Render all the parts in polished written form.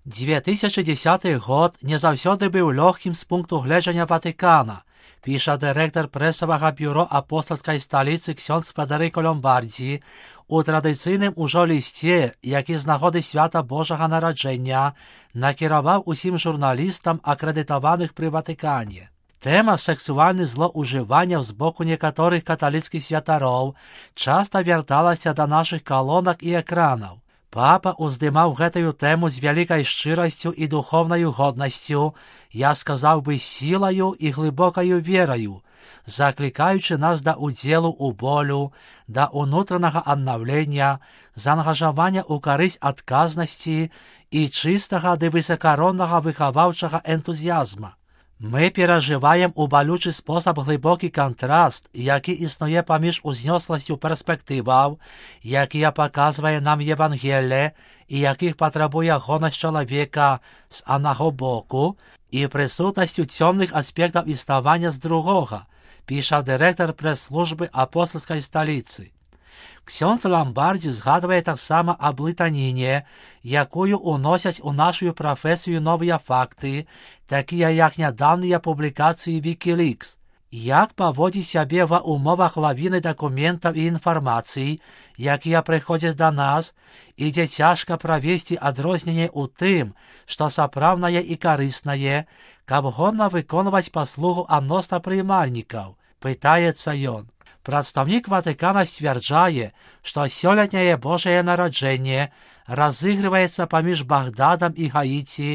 2010 год не заўсёды быў лёгкім з пункту гледжання Ватыкана, піша дырэктар прэсавага бюро апостальскай сталіцы ксёндз Федэрыка Ломбардзі у традыцыйным ужо лісце, які з нагоды свята Божага нараджэння накіраваў усім журналістам, акрэдытаваных пры Ватыкане. Тэма сексуальных злоўжыванняў з боку некаторых каталіцкіх святароў часта вярталася да нашых калонак і экранаў. Папа уздымаў гэтую тэму з вялікай шчырасцю і духоўнаю годнасцю, я сказаў бы сілаю і глыбокаю вераю, заклікаючы нас да удзелу ў болю, да ўнутранага аднаўлення, заангажавання ў карысць адказнасці і чыстага ды высакароннага выхаваўчага энтузіязма. Мы перажываем у балючы спосаб глыбокі кантраст, які існуе паміж узнёсласцю перспектываў, якія паказвае нам Евангелле і якіх патрабуе гонасць чалавека з аднаго боку, і прысутнасцю цёмных аспектаў існавання з другога, піша дырэктар прэс-службы апостальскай сталіцы. Ксёндз Ломбардзі згадвае таксама аб блытаніне, якую уносяць у нашу прафесію новыя факты, такія як нядаўныя публікацыі Wikileaks. Як паводзіць сябе ва ўмовах лавіны дакументаў і інфармацый, якія прыходзяць да нас, і дзе цяжка правесці адрозненне ў тым, што сапраўднае і карыснае, каб годна выконваць паслугу адносна прыймальнікаў, пытаецца ён. Прадстаўнік Ватыкана сцвярджае, што сёлетняе Божае нараджэнне разыгрываецца паміж Багдадам і Гаіці,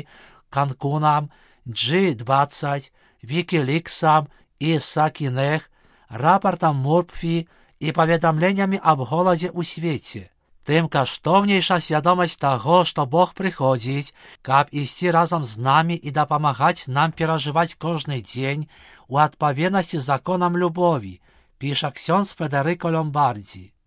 Канкунам, G20, Wikileaksам і Сакінех, рапартам Мурпфі і паведамленнямі аб голадзе ў свеце. Тым каштоўнейша свядомасць таго, што Бог прыходзіць, каб ісці разам з намі і дапамагаць нам перажываць кожны дзень у адпаведнасці з законам любові, піша ксёндз Федэрыка Ломбардзі.